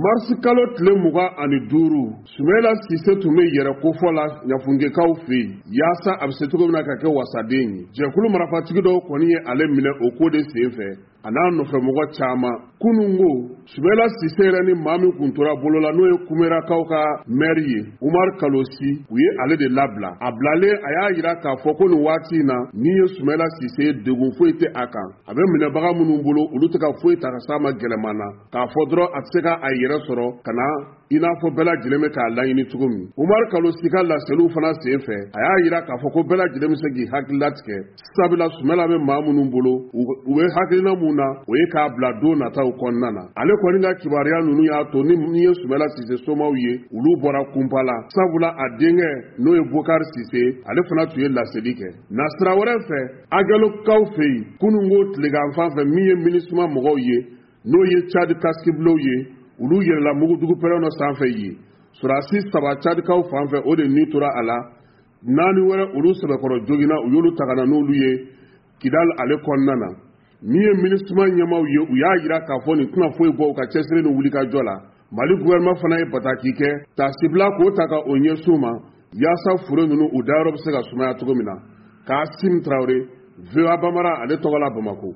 Marisi kalo tile 25, Sumayila Sise tun bɛ yɛrɛ kofɔ la Ɲafunkekaw fɛ yen, yaasa a bɛ se cogo min na ka kɛ wasaden ye. Jɛkulu marafatigi dɔw kɔni ye ale minɛ o ko de senfɛ, a n'a nɔfɛmɔgɔ caman. Kunun ko, Sumayila Sise yɛrɛ ni maa min kun tora bolo la, n'o ye Kumerakaw ka mɛri ye, Umaru Kalosi, u ye ale de labila. A bilalen, a y'a jira k'a fɔ ko nin waati in na, min ye Sumayila Sise ye, degun foyi tɛ a kan. A bɛ minɛbaga minnu bolo, olu tɛ ka foyi ta ka s'a ma gɛlɛman na. K'a fɔ dɔrɔn a tɛ se ka a yɛrɛ sɔrɔ ka na i n'a fɔ bɛɛ lajɛlen bɛ k'a laɲini cogo min. Umaru Kalosi ka laseliw fana senfɛ, a y'a jira k'a fɔ ko bɛɛ lajɛlen bɛ se k'i hakili latigɛ, sabula Sumayila bɛ maa minnu bolo, u bɛ hakilina mun na, o ye k'a bila don nataw kɔnɔna na. Ale kɔni ka kibaruya ninnu y'a to ni min ye Sumayila Sise somaw ye, olu bɔra kunpa la, sabula a denkɛ n'o ye Bokari Sise, ale fana tun ye laseli kɛ. Nasira wɛrɛ fɛ, Agelokaw fɛ yen, kununko tilegan fan fɛ, min ye MINUSMA mɔgɔw ye, n'o ye Tchad casque-bleu ye, olu yɛlɛla mugujugu pɛrɛn dɔ sanfɛ yen. Sɔrɔdasi 3 Tchadkaw fan fɛ, o de ni tora a la. 4 wɛrɛ olu sɛbɛkɔrɔ joginna, u y'olu ta ka na n'olu ye Kidal ale kɔnɔna na. Min ye MINUSMA ɲɛmaaw ye, u y'a jira k'a fɔ nin tɛna foyi bɔ u ka cɛsiri ni wulikajɔ la. Mali gouvernement fana ye bataki kɛ, taasibila k'o ta ka o ɲɛsin u ma, yaasa fure ninnu u dayɔrɔ bɛ se ka sumaya cogo min na. Kasim Traoré, VOA Bambara ale tɔgɔ la Bamakɔ.